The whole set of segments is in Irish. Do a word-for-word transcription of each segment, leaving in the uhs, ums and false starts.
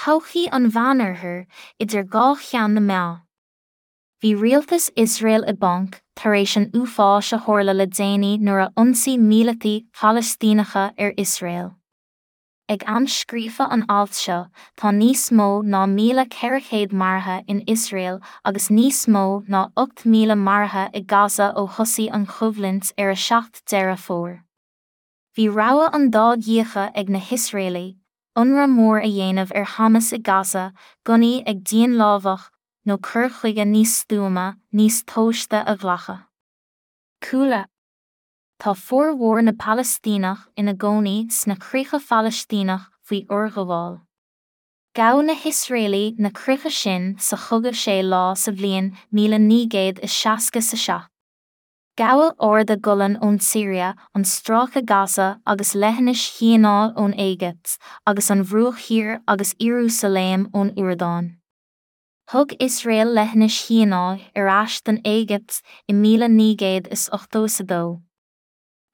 Todhchaí an Mheánoirthir idir dhá cheann na meá. Bhí rialtas Iosrael i bponc tar éis an uafáis a tharla le déanaí nuair a ionsaigh míleataigh Phalaistíneacha ar Iosrael. Ag am scríofa an ailt seo, tá níos mó ná míle ceithre chéad maraithe in Iosrael agus níos mó ná ocht míle maraithe i Gaza ó thosaigh an choimhlint ar a seacht Deireadh Fómhair. Bhí rogha an dá dhíogha ag na hIosraelaigh, ionradh mór a dhéanamh ar Hamas i Gaza, gunnaí ag dianlámhach, nó cur chuige níos stuama, níos tomhaiste a ghlacadh. Cúla. Tá formhór na bPalaistíneach ina gcónaí sna críocha Phalaistíneach faoi fhorghabháil. Ghabh na hIosraelaigh na críocha sin sa chogadh sé lá sa bhliain míle naoi gcéad is seasca a seacht. Gabhadh Arda Golan ón tSiria, an Stráice Gaza agus Leithinis Shíonái ón Éigipt, agus an Bhruach Thiar agus Iarúsailéim ón Iordáin. Thug Iosrael Leithinis Shíonái ar ais don Éigipt i míle naoi gcéad is ochtó is a dó.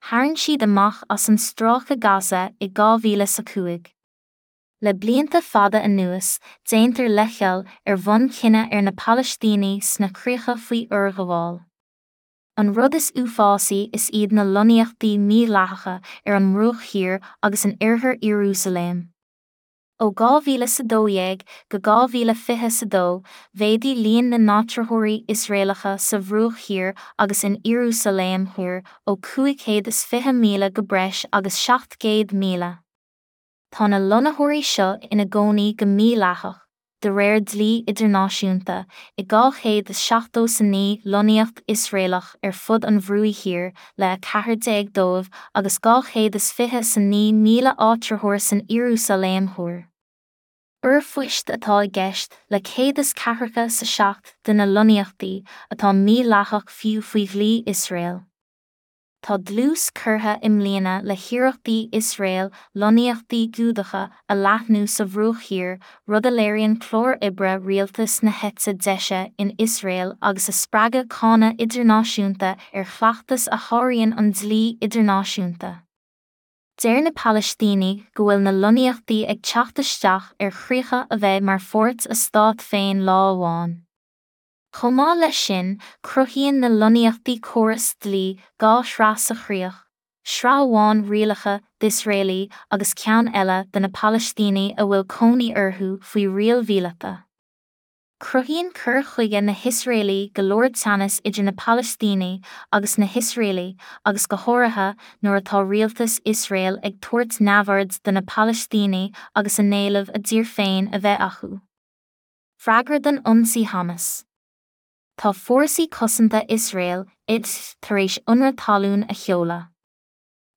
Tharraing siad amach as an Stráice Gaza i dhá mhíle is a cúig. Le blianta fada anuas, déantar leithcheal ar bhonn cine ar na Palaistínigh sna críocha faoi fhorghabháil. An rud is uafásaí is iad na lonnaíochtaí mídhleathacha ar an mBruach Thiar agus in oirthear Iarúsailéim. Ó dhá mhíle is a dó dhéag go dhá mhíle fiche is a dó, mhéadaigh líon na n-áitritheoirí Iosraelacha sa Bhruach Thiar agus in Iarúsailéim Thoir ó cúig chéad is fiche míle go breis agus seacht gcéad míle. Tá na lonnaitheoirí seo ina gcónaí go mídhleathach, de réir dlí idirnáisiúnta, i dhá chéad is seachtó is a naoi lonnaíocht Iosraelach ar fud an Bhruaigh Thiar le a ceathair déag dóibh agus dhá chéad is fiche is a naoi míle áitritheoir san Iarúsailéim Thoir. Urphoist atá i gceist le céad is ceathracha is a seacht de na lonnaíochtaí atá mídhleathach fiú faoi dhlí Iosrael. Tá dlús curtha i mbliana le hiarrachtaí Iosrael lonnaíochtaí Giúdacha a leathnú sa Bhruach Thiar, rud a léiríonn clár oibre rialtas na heite deise in Iosrael agus a spreagadh cáineadh idirnáisiúnta ar chleachtas a sháraíonn an dlí idirnáisiúnta. Deir na Palaistínigh go bhfuil na lonnaíochtaí ag teacht isteach ar chríocha a bheidh mar pháirt a stát féin lá amháin. Chomh maith leis sin, cruthaíonn na lonnaíochtaí córas dlí dhá shraith sa chríoch, sraith amháin rialacha d'Iosraelaigh agus ceann eile do na Palaistínigh a bhfuil cónaí orthu faoi riail mhíleata. Cruthaíonn cur chuige na hIosraelaigh go leor teannas idir na Palaistínigh agus na hIosraelaigh agus go háirithe nuair atá rialtas Iosrael ag tabhairt neamhaird do na Palaistínigh agus a n-éileamh a dtír féin a bheith acu. Freagra don ionsaí Hamas. Tá fórsaí cosanta Iosrael, I D F, tar éis ionradh talún a sheoladh.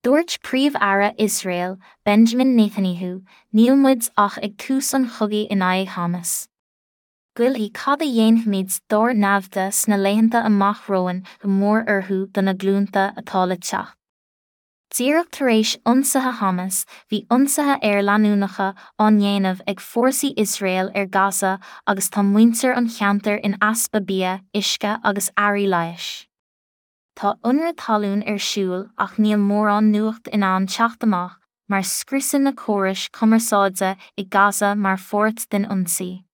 Dúirt Príomh-Aire Iosrael, Benjamin Netanyahu, Níl muid ach ag tús an chogaidh in aghaidh Hamas. Goillfidh cad a dhéanfaimid dár naimhde sna laethanta amach romhainn go mór orthu do na glúnta atá le teacht. Díreach tar éis ionsaithe Hamas, bhí ionsaithe aeir leanúnacha á ndéanamh ag fórsaí Iosrael ar Gaza agus tá muintir an cheantair in easpa bia, uisce agus earraí leighis. Tá ionradh talún ar siúl ach níl mórán nuacht in ann teacht amach mar scriosadh na córais cumarsáide i Gaza mar pháirt den ionsaí.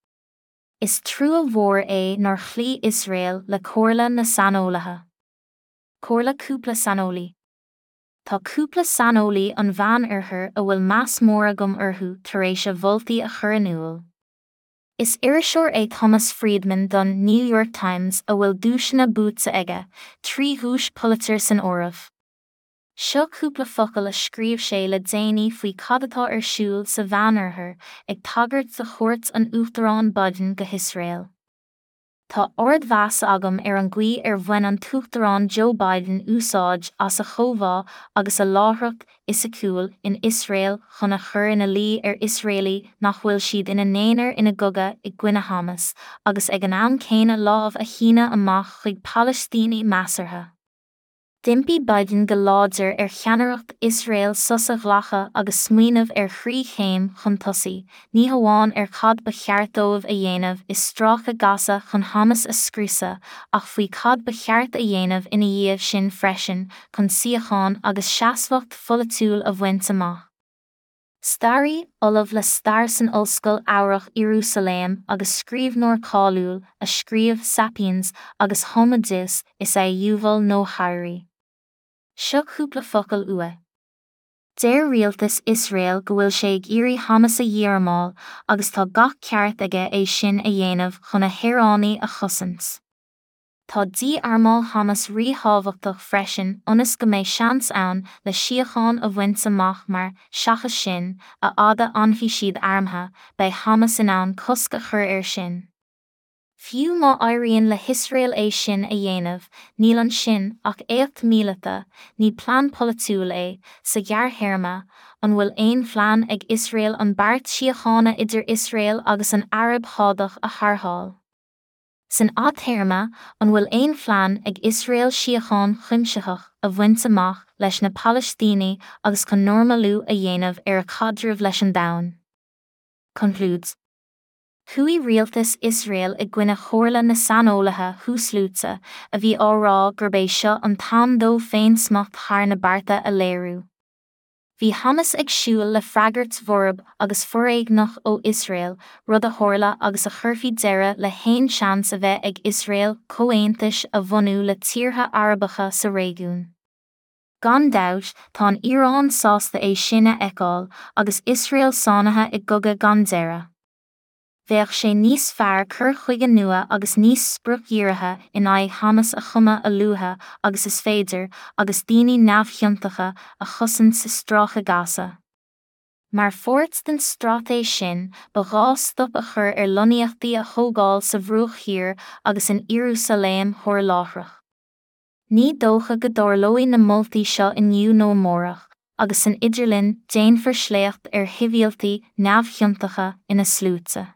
Is trua mhór é nár chloígh Iosrael le comhairle na saineolaithe. Comhairle cúpla saineolaí. Tá cúpla saineolaí an Mheánoirthir a bhfuil meas mór agam orthu tar éis a mholtaí a chur in iúl. Is iriseoir é Thomas Friedman don New York Times a bhfuil duaiseanna buaite aige, trí dhuais Pulitzer san áireamh. Seo cúpla focal a scríobh sé le déanaí faoi cad atá ar siúl sa Mheánoirthear, ag tagairt do chuairt an Uachtaráin Biden go hIosrael. Tá ardmheas agam ar an gcaoi ar bhain an tUachtarán Joe Biden úsáid as a chomhbhá agus a láithreacht fhisiciúil in Iosrael chun a chur ina luí ar Iosraelaigh nach bhfuil siad ina n-aonar ina gcogadh i gcoinne Hamas, agus ag an am céanna lámh a shíneadh amach chuig Palaistínigh measartha. D'impigh Biden go láidir ar cheannaireacht Iosrael sos a ghlacadh agus smaoineamh ar thrí chéim chun tosaigh, ní hamháin ar cad ba cheart dóibh a dhéanamh i Stráice Gaza chun Hamas a scriosadh, ach faoi cad ba cheart a dhéanamh ina dhiaidh sin freisin chun síocháin agus seasmhacht pholaitiúil a bhaint amach. Staraí, ollamh le stair san Ollscoil Eabhrach Iarúsailéim agus scríbhneoir cáiliúil a scríobh Sapiens agus Homo Deus is ea Yuval Noah Harari. Seo cúpla focal uaidh. Deir rialtas Iosrael go bhfuil sé ag iarraidh Hamas a dhí-armáil agus tá gach ceart aige é sin a dhéanamh chun a shaoránaigh a chosaint. Tá dí-armáil Hamas ríthábhachtach freisin ionas go mbeidh seans ann le síocháin a bhaint amach mar, seachas sin, a fhad a fhanfaidh siad armtha, beidh Hamas in ann cosc a chur air sin. Fiú má éiríonn le hIosrael é sin a dhéanamh, níl ansin ach éacht míleata, ní plean polaitiúil é, sa ghearrthéarma, an bhfuil aon phlean ag Iosrael an beart síochána idir Iosrael agus an Araib Shádach a tharrtháil? San fhadtéarma, an bhfuil aon phlean ag Iosrael síocháin chuimsitheach a bhaint amach leis na Palaistínigh agus chun normalú a dhéanamh ar a chaidreamh leis an domhan? Concludes. Chuaigh rialtas Iosrael i gcoinne chomhairle na saineolaithe thuasluaite a bhí á rá gurb é seo an t-am dó féinsmacht thar na bearta a léiriú. Bhí Hamas ag súil le freagairt bhorb agus foréigneach ó Iosrael, rud a tharla agus a chuirfeadh deireadh le haon seans a bheith ag Iosrael comhaontais a bhunú le tíortha Arabacha sa réigiún. Gan dabht, tá an Iaráin sásta é sin a fheiceáil, agus Iosrael sáinnithe i gcogadh gan deireadh. Bheadh sé níos fearr cur chuige nua agus níos spriocdhírithe in aghaidh Hamas a chumadh a luaithe agus is féidir, agus daoine neamhchiontacha a chosaint sa stráice Gaza. Mar pháirt den straitéis sin, ba ghá stop a chur ar lonnaíochtaí a thógáil sa Bhruach Thiar agus in Iarúsailéim Thoir láithreach. Ní dócha go dtarlóidh na moltaí seo inniu nó amárach, agus san idirlinn déanfar sléacht ar shibhialtaigh neamhchiontacha ina sluaite.